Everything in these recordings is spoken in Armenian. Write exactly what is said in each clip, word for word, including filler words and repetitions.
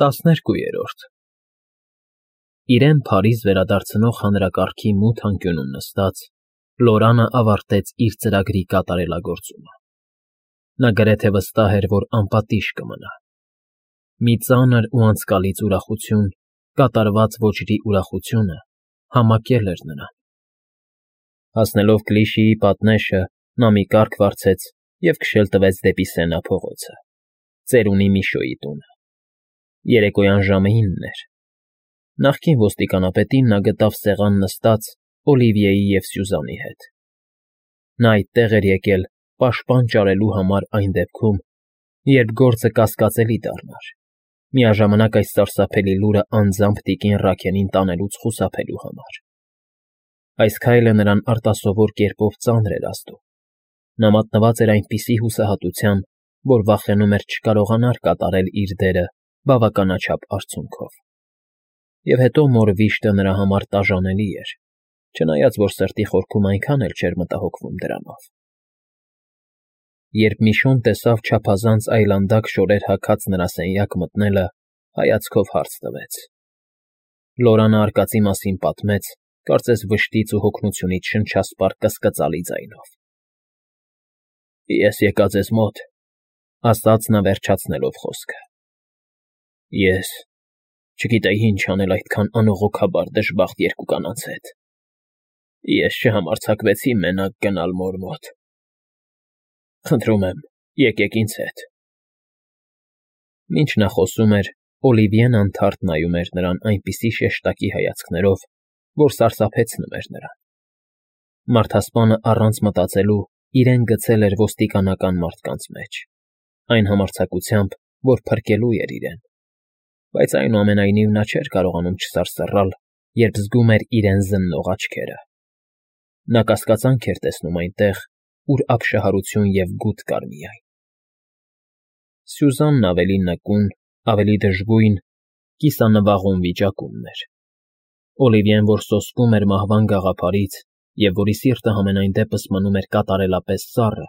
ՏԱՍՆԵՐԿՈՒԵՐՈՐԴ Իրեն Փարիզ վերադարձնող հանրակարգի մութ անկյունում նստած՝ Լորանը ավարտեց իր ծրագրի կատարելագործումը. նա գրեթե վստահ էր, որ անպատիժ կմնա։ Մի ծանր ու անցկալից ուրախություն, կատարված ոճրի ուրախությունը, համակել էր նրան։ Հասնելով Կլիշիի պատնեշը, նա մի կառք վարձեց և քշել տվեց դեպի Սենա փողոցը, ծերունի Միշոյի տունը։ Երեկոյան ժամը ինն էր։ Նախկին ոստիկանապետին նա գտավ սեղան նստած Օլիվիեի և Սյուզաննի հետ։ Նա այդտեղ էր եկել պաշտպան ճարելու համար այն դեպքում, երբ գործը կասկածելի դառնար, միաժամանակ այս սարսափելի լուրը անձամբ տիկին Ռաքելին տանելուց խուսափելու համար։ Այս քայլը նրան արտասովոր կերպով ծանր էր ազդու։ Նա մատնված էր այնպիսի հուսահատության, որ վախենում էր չկարողանար կատարել իր դերը բավականաչափ արդյունքով։ Եվ հետո մոր վիշտը նրա համար տաժանելի էր, չնայած որ սրտի խորքում այնքան էլ չէր մտահոգվում դրանով։ Երբ Միշոն տեսավ չափազանց այլանդակ շորեր հագած նրա սենյակ մտնելը, հայացքով հարց տվեց։ Լորանը արկածի մասին պատմեց, կարծես վշտից ու հոգնությունից շնչասպառ կսկծալի ձայնով։ Ես եկա ձեզ մոտ, ասաց նա վերջացնելով խոսքը։ Ես չգիտեի ինչ անել այդքան անողոքաբար դժբախտ երկու կանանց հետ։ Ես չհամարձակվեցի մենակ գնալ մոր մոտ։ Խնդրում եմ, եկեք ինձ հետ։ Մինչ նա խոսում էր, Օլիվիեն անթարթ նայում էր նրան այնպիսի շեշտակի հայացքներով, որ սարսափեցնում էր նրան։ Մարդասպանը առանց մտածելու իրեն գցել էր ոստիկանական մարդկանց մեջ, այն համարձակությամբ, որ փրկելու էր իրեն, բայց այնուամենայնիվ նա չէր կարողանում չսարսռալ, երբ զգում էր իրեն զննող աչքերը։ Նա կասկածանք էր տեսնում այնտեղ, ուր ապշահարություն և գութ կար միայն։ Սյուզաննն ավելի նկուն, ավելի դժգույն, կիսանվաղում վիճակումն էր։ Օլիվիեն, որ սոսկում էր մահվան գաղափարից և որի սիրտը համենայն դեպս մնում էր կատարելապես սառը,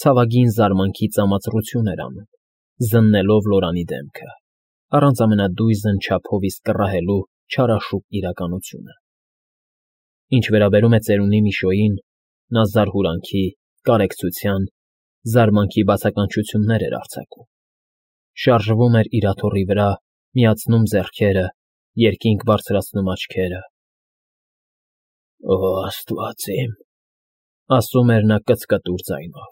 ցավագին զարմանքի ծամածռություն էր անում, զննելով Լորանի դեմքը, առանց ամենադույզն չափով իսկ կռահելու չարաշուկ իրականությունը։ Ինչ վերաբերում է ծերունի Միշոյին, նա զարհուրանքի, կարեկցության, զարմանքի բացականչություններ էր արձակում։ Շարժվում էր իր աթոռի վրա, միացնում ձեռքերը, երկինք բարձրացնում աչքերը։ Օ, Աստված իմ, ասում էր նա կծկտուր ձայնով,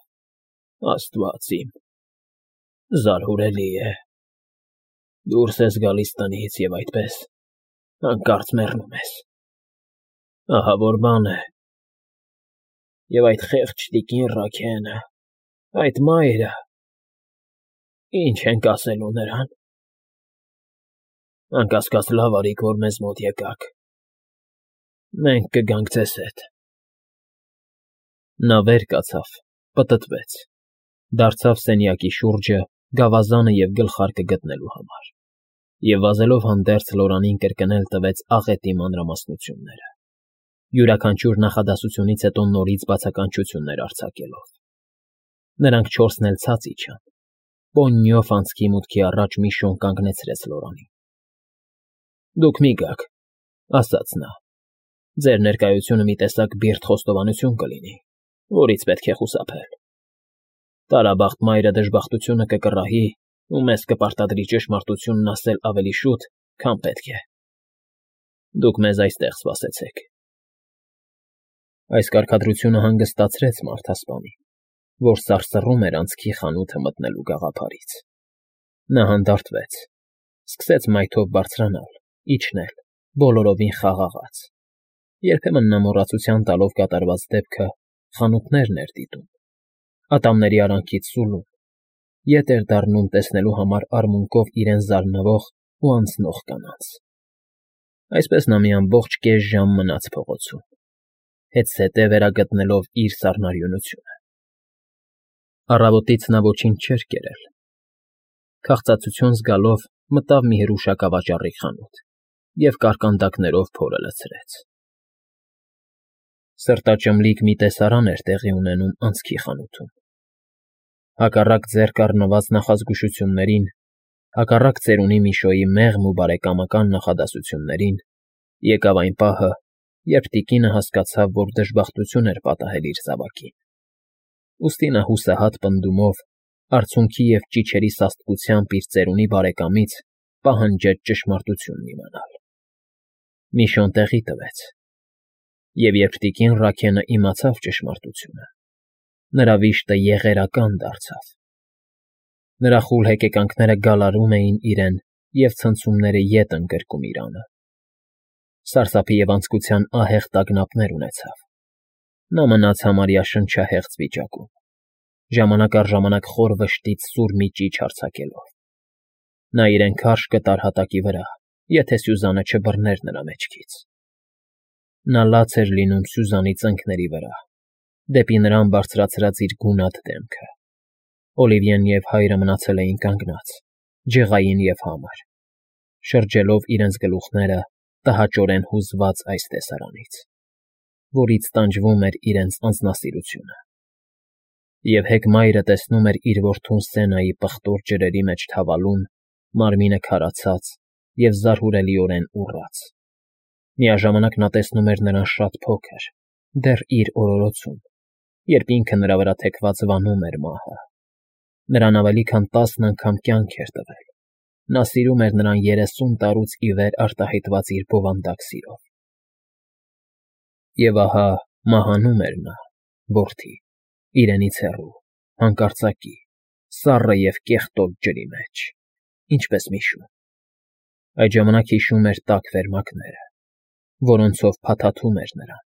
Աստված իմ, զարհուրելի է։ Դուրս ես գալիս տնից և այդպես հանկարծ մեռնում ես։ Ահա որ բան է։ Եվ այդ խեղճ տիկին Ռաքելը, այդ մայրը, ի՞նչ ենք ասելու նրան։ Անկասկած լավ արիք, որ մեզ մոտ եկաք։ Մենք կգանք ձեզ հետ։ Նա վեր կացավ, պտտվեց, դարձավ սենյակի շուրջը գավազանը և գլխարկը գտնելու համար և վազելով հանդերձ Լորանին կրկնել տվեց աղետի մանրամասնությունները, յուրաքանչյուր նախադասությունից հետո նորից բացականչություններ արձակելով։ Նրանք չորսն էլ ցած իջան։ Պոննյով անցքի մուտքի առաջ Միշոն կանգնեցրեց Լորանին։ Դուք մի գաք, ասաց նա, ձեր ներկայությունը մի տեսակ բիրտ խոստովանություն կլինի, որից պետք է խուսափել։ Տարաբախտ մայրը դժբախտությունը կկռահի ու մեզ կպարտադրի ճշմարտությունն ասել ավելի շուտ, քան պետք է։ Դուք մեզ այստեղ սպասեցեք։ Այս կարգադրությունը հանգստացրեց մարդասպանին, որ սարսռում էր անցքի խանութը մտնելու գաղափարից։ Նա հանդարտվեց, սկսեց մայթով բարձրանալ, իջնել, բոլորովին խաղաղաց։ Երբեմն նա մոռացության տալով կատարված դեպքը խանութներն էր դիտում, ատամների արանքից սուլում, ետ էր դառնում տեսնելու համար արմունկով իրեն զարնվող ու անցնող կանանց։ Այսպես նա մի ամբողջ կես ժամ մնաց փողոցում, հետզհետե վերագտնելով իր սառնարյունությունը։ Առավոտից նա ոչինչ չէր կերել։ Քաղցածություն զգալով մտավ մի հրուշակավաճառի խանութ և կարկանդակներով փորը լցրեց։ Սրտաճմլիկ մի տեսարան էր տեղի ունենում անցքի խանութում։ Հակառակ ձեռք առնված նախազգուշություններին, Հակառակ ծերունի Միշոյի մեղմ ու բարեկամական նախադասություններին, եկավ այն պահը, երբ տիկինը հասկացավ, որ դժբախտություն էր պատահել իր զավակին. ուստի նա հուսահատ պնդումով, արցունքի և ճիչերի սաստկությամբ իր ծերունի բարեկամից պահանջեց ճշմարտությունն իմանալ։ Միշոն տեղի տվեց, և երբ տիկին Ռաքենը իմացավ ճշմարտությունը, նրա վիշտը եղերական դարձավ։ Նրա խուլ հեկեկանքները գալարում էին իրեն և ցնցումները ետ ընդգրկում իր անը։ Սարսափի և անձկության ահեղ տագնապներ ունեցավ։ Նա մնաց համարյա շնչահեղձ վիճակում, ժամանակ առ ժամանակ խոր վշտից սուր մի ճիչ արձակելով։ Նա իրեն քարշ կտար հատակի վրա, եթե Սյուզանը չբռներ նրա մեջքից։ Նա լաց էր լինում Սյուզանի ծնկների վրա, դեպի նրան բարձրացրած իր գունատ դեմքը։ Օլիվիեն և հայրը մնացել էին կանգնած, ջղային և համր, շրջելով իրենց գլուխները տհաճորեն հուզված այս տեսարանից, որից տանջվում էր իրենց անձնասիրությունը։ Եվ հեկ մայրը տեսնում էր իր որդուն Սենայի պղտոր ջրերի մեջ թավալուն, մարմինը քարացած և զարհուրելիորեն ուռած։ Միաժամանակ նա տեսնում էր նրան շատ փոքր, դեռ իր օրորոցում, երբ ինքը նրա վրա թեքված վանում էր մահը։ Նրան ավելի քան տասն անգամ կյանք էր տվել։ Նա սիրում էր նրան երեսուն տարուց ի վեր արտահայտված իր բովանդակ սիրով։ Եվ ահա մահանում էր նա, որդի, իրենից հեռու, հանկարծակի, սառը և կեղտոտ ջրի մեջ, ինչպես միշում։ Այդ ժամանակ հիշում էր տաք վերմակները, որոնցով փաթաթում էր նրան։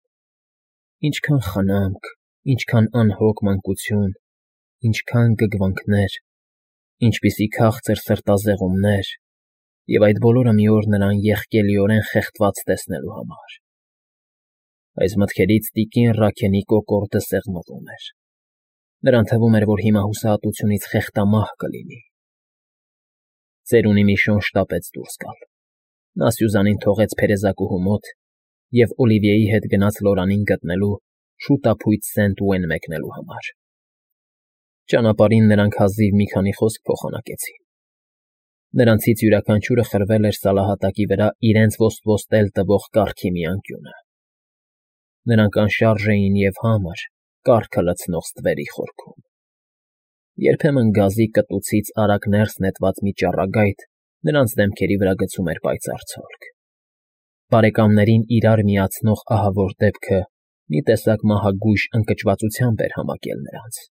Ինչքան խնամք, ինչքան անհոգ մանկություն, ինչքան գգվանքներ, ինչպիսի քաղցր սրտազեղումներ, և այդ բոլորը մի օր նրան եղկելիորեն խեղդված տեսնելու համար։ Այս մտքերից տիկին Ռաքենի կոկորդը սեղմվում էր։ Նրան թվում էր, որ հիմա հուսահատությունից խեղդամահ կլինի։ Ծերունի Միշոն շտապեց դուրս գալ։ Նա Սյուզանին թողեց փերեզակուհու մոտ և Օլիվիեի հետ գնաց Լորանին գտնելու, շուտափույթ Սենտ Օուեն մեկնելու համար։ Ճանապարհին նրանք հազիվ մի քանի խոսք փոխանակեցին։ Նրանցից յուրաքանչյուրը խրվել էր սալահատակի վրա իրենց ոստվոստել տվող կառքի մի անկյունը։ Նրանք անշարժ էին և համր, կառքը լցնող ստվերի խորքում։ Երբեմն գազի կտուցից արագ ներս նետված մի ճառագայթ նրանց դեմքերի վրա գցում էր պայծառ ցոլք։ Բարեկամներին իրար միացնող ահավոր դեպքը մի տեսակ մահագույժ ընկճվածությամբ էր համակել նրանց։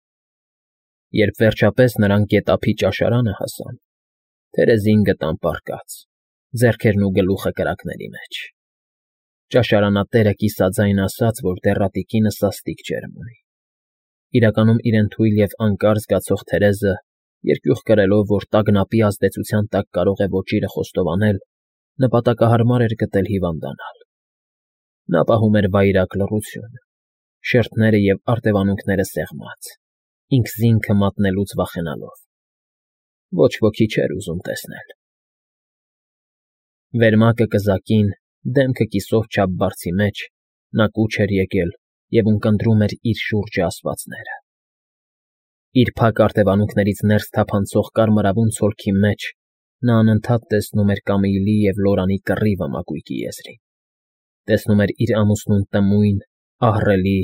Երբ վերջապես նրանք գետափի ճաշարանը հասան, թերեզին գտան պառկած, ձեռքերն ու գլուխը կրակների մեջ։ Ճաշարանատերը կիսաձայն ասաց, որ դեռատիկինը սաստիկ ջերմ ունի։ Իրականում իրեն թույլ և անկար զգացող Թերեզը, երկյուղ կրելով, որ տագնապի ազդեցության տակ կարող է ոճիրը խոստովանել, նպատակահարմար էր գտել հիվանդանալ։ Նա պահում էր վայրագ լռություն, շերտները և արտևանունքները սեղմած, ինքզինքը մատնելուց վախենալով։ Ոչ ոքի չէր ուզում տեսնել։ Վերմակը կզակին, դեմքը կիսով չափ բարձի մեջ, նա կուչ էր եկել և ունկնդրում էր իր շուրջը ասվածները։ Իր փակ արտևանունքներից ներս թափանցող կարմրավուն ցոլքի մեջ նա անընդհատ տեսնում էր Կամիլի և Լորանի կռիվը մակույկի եզրին, տեսնում էր իր ամուսնուն տմույն, ահռելի,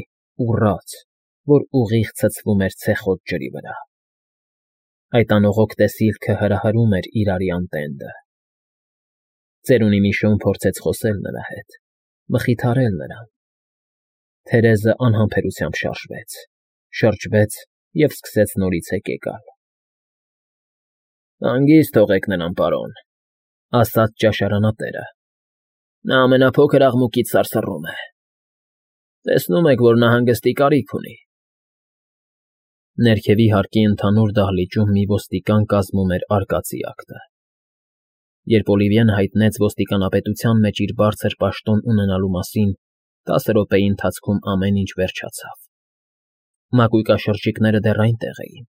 ուռած, որ ուղիղ ցցվում էր ցեխոտ ջրի վրա։ Այդ անողոք տեսիլքը հրահրում էր իր արյան տենդը։ Ծերունի Միշոն փորձեց խոսել նրա հետ, մխիթարել նրան։ Թերեզը անհամբերությամբ շարժվեց, շրջվեց և սկսեց նորից հեկեկալ։ ֊ Հանգիստ թողեք նրան, պարոն,֊ ասաց ճաշարանատերը։ ֊ Նա ամենափոքր աղմուկից սարսռում է։ Տեսնում եք, որ նա հանգստի կարիք ունի։ Ներքևի հարկի ընդհանուր դահլիճում մի ոստիկան կազմում էր արկածի ակտը։ Երբ Օլիվիեն հայտնեց ոստիկանապետության մեջ իր բարձր պաշտոն ունենալու մասին, տասը րոպեի ընթացքում ամեն ինչ վերջացավ։ Մակույկաշրջիկները դեռ այնտեղ էին,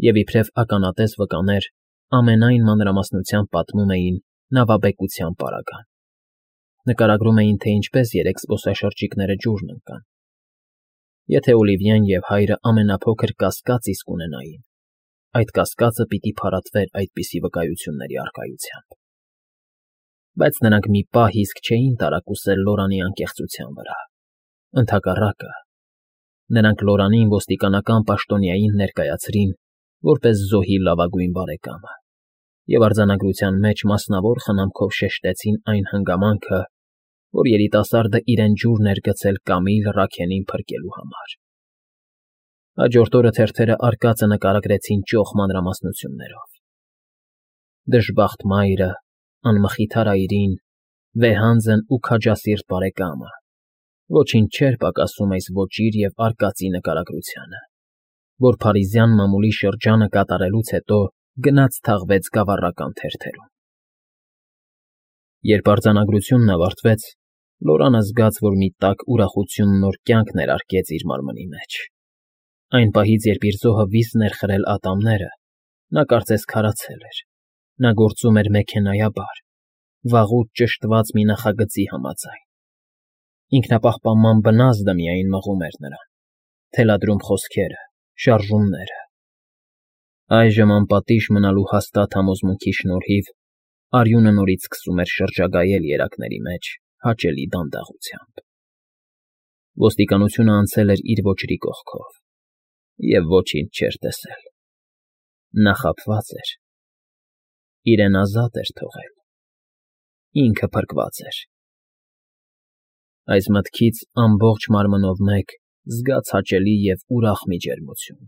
և իբրև ականատես վկաներ ամենայն մանրամասնությամբ պատմում էին նավաբեկության պարագան։ Նկարագրում էին, թե ինչպես երեք զբոսաշրջիկները ջուրն ընկան։ Եթե Օլիվիեն և հայրը ամենափոքր կասկած իսկ ունենային, այդ կասկածը պիտի փարատվեր այդպիսի վկայությունների առկայությամբ։ Բայց նրանք մի պահ իսկ չէին տարակուսել Լորանի անկեղծության վրա, ընդհակառակը, նրանք Լորանին ոստիկանական պաշտոնյային ներկայացրին որպես զոհի լավագույն բարեկամը և արձանագրության մեջ մասնավոր խնամքով շեշտեցին այն հանգամանքը, որ երիտասարդը իրեն ջուրն էր գցել Կամիլ Ռաքենին փրկելու համար։ Հաջորդ օրը թերթերը արկածը նկարագրեցին ճոխ մանրամասնություններով. դժբախտ մայրը, անմխիթար այրին, վեհանձն ու քաջասիրտ բարեկամը, ոչինչ չէր պակասում այս ոճիր և արկածի նկարագրությանը, որ փարիզյան մամուլի շրջանը կատարելուց հետո գնաց թաղվեց գավառական թերթերում։ Երբ արձանագրությունն ավարտվեց, Լորանը զգաց, որ մի տաք ուրախություն նոր կյանք ներարկեց իր մարմնի մեջ։ Այն պահից, երբ իր զոհը վիզ ներխրել ատամները, նա կարծես քարացել էր, նա գործում էր մեքենայաբար, վաղուց ճշտված մի նախագծի համաձայն։ Ինքնապահպանման բնազդը միայն մղում էր նրան, թելադրում խոսքերը, շարժումները։ Այժմ անպատիժ մնալու հաստատ համոզմունքի շնորհիվ արյունը նորից սկսում էր շրջագայել երակների մեջ հաճելի դանդաղությամբ։ Ոստիկանությունը անցել էր իր ոճրի կողքով և ոչինչ չէր տեսել։ Նա խաբված էր, իրեն ազատ էր թողել, ինքը փրկված էր։ Այս մտքից ամբողջ մարմնով մեկ զգաց հաճելի և ուրախ մի ջերմություն,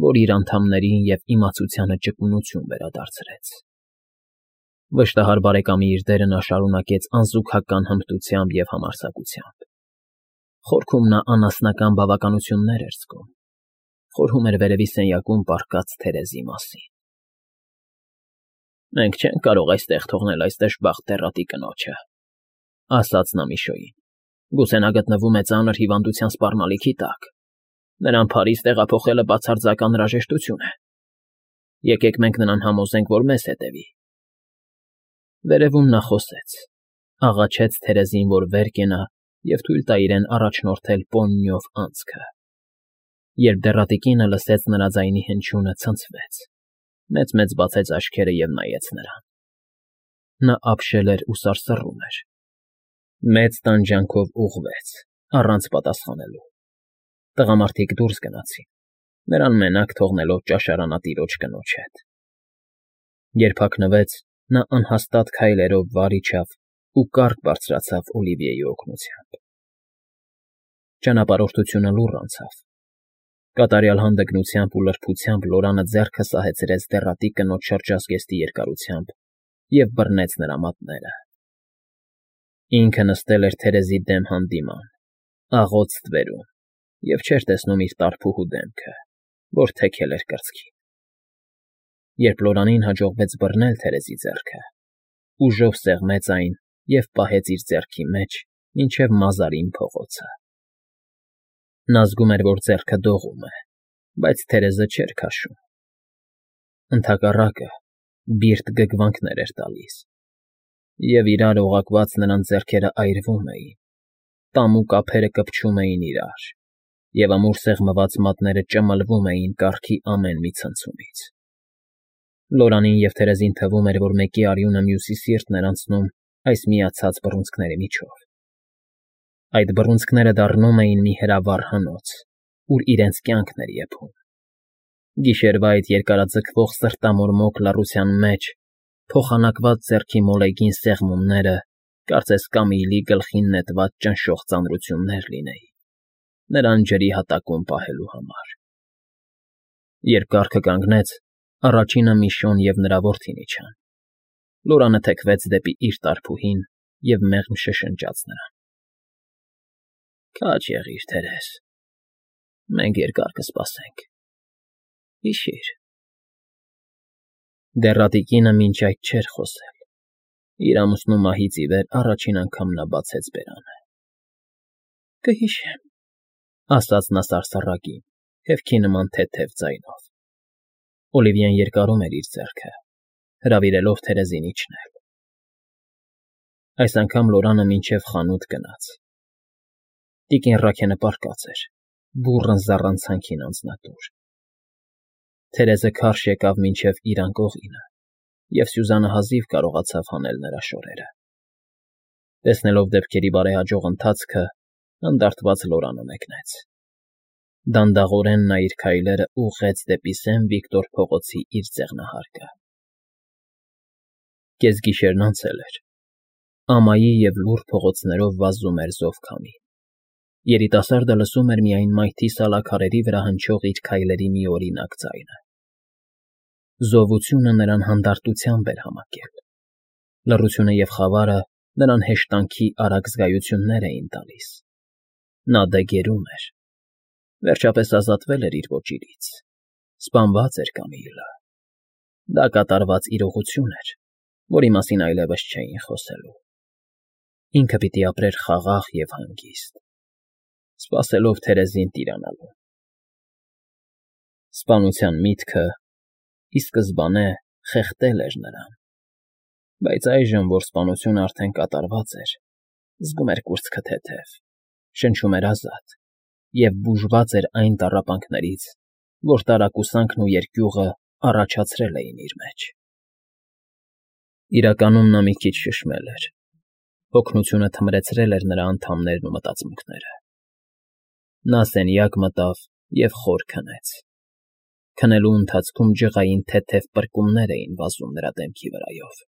որ իր անդամներին և իմացությանը ճկունություն վերադարձրեց։ Վշտահար բարեկամի իր դերը նա շարունակեց անզուգական հմտությամբ և համարձակությամբ։ Խորքում նա անասնական բավականություններ էր զգում, խորհում էր վերևի սենյակում պառկած Թերեզի մասին։ «Մենք չենք կարող այստեղ թողնել այս դժբախտ դեռատի կնոջը,֊ ասաց նա Միշոյին,֊ գուցե նա գտնվում է ծանր հիվանդության սպառնալիքի տակ, նրան Փարիզ տեղափոխելը բացարձակ անհրաժեշտություն է։ Եկեք մենք նրան համոզենք, որ մեզ հետևի»։ Վերևում նա խոսեց, աղաչեց Թերեզին, որ վեր կենա և թույլ տա իրեն առաջնորդել պոնիով անցքը։ Երբ դեռատի կինը լսեց նրա ձայնի հնչյունը, ցնցվեց, մեծ֊մեծ բացեց աչքերը և նայեց նրան։ Նա ապշել էր ու սարսռում էր։ Մեծ տանջանքով ուղղվեց, առանց պատասխանելու։ Տղամարդիկ դուրս գնացին, նրան մենակ թողնելով ճաշարանատիրոջ կնոջ հետ։ Երբ հագնվեց, նա անհաստատ քայլերով վար իջավ ու կառք բարձրացավ Օլիվիեի օգնությամբ։ Ճանապարհորդությունը լուռ անցավ։ Կատարյալ հանդգնությամբ ու լրբությամբ Լորանը ձեռքը սահեցրեց դեռատի կնոջ շրջազգեստի երկարությամբ և բռնեց նրա մատները։ Ինքը նստել էր Թերեզի դեմ հանդիման, աղոտ ստվերում և չէր տեսնում իր տարփուհու դեմքը, որ թեքել էր կրծքին։ Երբ Լորանին հաջողվեց բռնել Թերեզի ձեռքը, ուժով սեղմեց այն և պահեց իր ձեռքի մեջ, մինչև մազարին փողոցը։ Նա զգում էր, որ ձեռքը դողում է, բայց Թերեզը չէր քաշում։ Ընդհակառակը, բիրտ գգվանքներ էր տալիս, և իրար օղակված նրանց ձեռքերն այրվում էին, տամուկ ափերը կպչում էին իրար, և ամուր սեղմված մատները ճմլվում էին կառքի ամեն մի ցնցումից։ Լորանին և Թերեզին թվում էր, որ մեկի արյունը մյուսի սիրտն էր անցնում այս միացած բռունցքների միջով։ Այդ բռունցքները դառնում էին մի հրավառ հնոց, ուր իրենց կյանքն էր եփում։ Գիշերվա այդ երկարաձգվող սրտամորմոք լռության մեջ փոխանակված ձեռքի մոլեգին սեղմումները կարծես Կամիլի գլխին նետված ճնշող ծանրություններ լինեին, նրան ջրի հատակում պահելու համար։ Երբ կառքը կանգնեց, առաջինը Միշոն և նրա որդին իջան։ Լորանը թեքվեց դեպի իր տարփուհին և մեղմ շշնջաց նրան։ «Քաջ եղիր, Թերեզ, մենք երկար կսպասենք, հիշի՛ր»։ Դեռատի կինը մինչ այդ չէր խոսել։ Իր ամուսնու մահից ի վեր առաջին անգամ նա բացեց բերանը։ «Կհիշեմ», ֊ ասաց նա սարսռակին, խելքի նման թեթև ձայնով։ Օլիվիեն երկարում էր իր ձեռքը, հրավիրելով Թերեզին իջնել։ Այս անգամ Լորանը մինչև խանութ գնաց։ Տիկին Ռաքենը պառկած էր, բուռն զառանցանքին անձնատուր։ Թերեզը քարշ եկավ մինչև իր անկողինը, և Սյուզանը հազիվ կարողացավ հանել նրա շորերը։ Տեսնելով դեպքերի բարեհաջող ընթացքը, հանդարտված Լորանը մեկնեց։ Դանդաղորեն նա իր քայլերը ուղղեց դեպի Սեն Վիկտոր փողոցի իր ձեղնահարկը։ Կեսգիշերն անցել էր։ Ամայի և լուռ փողոցներով վազում էր զով քամի։ Երիտասարդը լսում էր միայն մայթի սալաքարերի վրա հնչող իր քայլերի միօրինակ ձայնը։ Զովությունը նրան հանդարտությամբ էր համակել։ Լռությունը և խավարը նրան հեշտանքի արագ զգայություններ էին տալիս։ Նա դեգերում էր։ Վերջապես ազատվել էր իր ոճիրից։ Սպանված էր Կամիլլա։ Դա կատարված իրողություն էր, որի մասին այլևս չէին խոսելու։ Ինքը պիտի ապրեր խաղաղ և հանգիստ, սպասելով Թերեզին տիրանալուն։ Սպանության միտքը ի սկզբանե խեղդել էր նրան, բայց այժմ, որ սպանությունը արդեն կատարված էր, զգում էր կուրծքը թեթև, շնչում էր ազատ և բուժված էր այն տառապանքներից, որ տարակուսանքն ու երկյուղը առաջացրել էին իր մեջ։ Իրականում նա մի քիչ շշմել էր։ Հոգնությունը թմրեցրել էր նրա անդամներն ու մտածմունքները։ Նա սենյակ մտավ և խոր քնեց։ Քնելու ընթացքում ջղային թեթև պրկումներ էին վազում նրա դեմքի վրայով։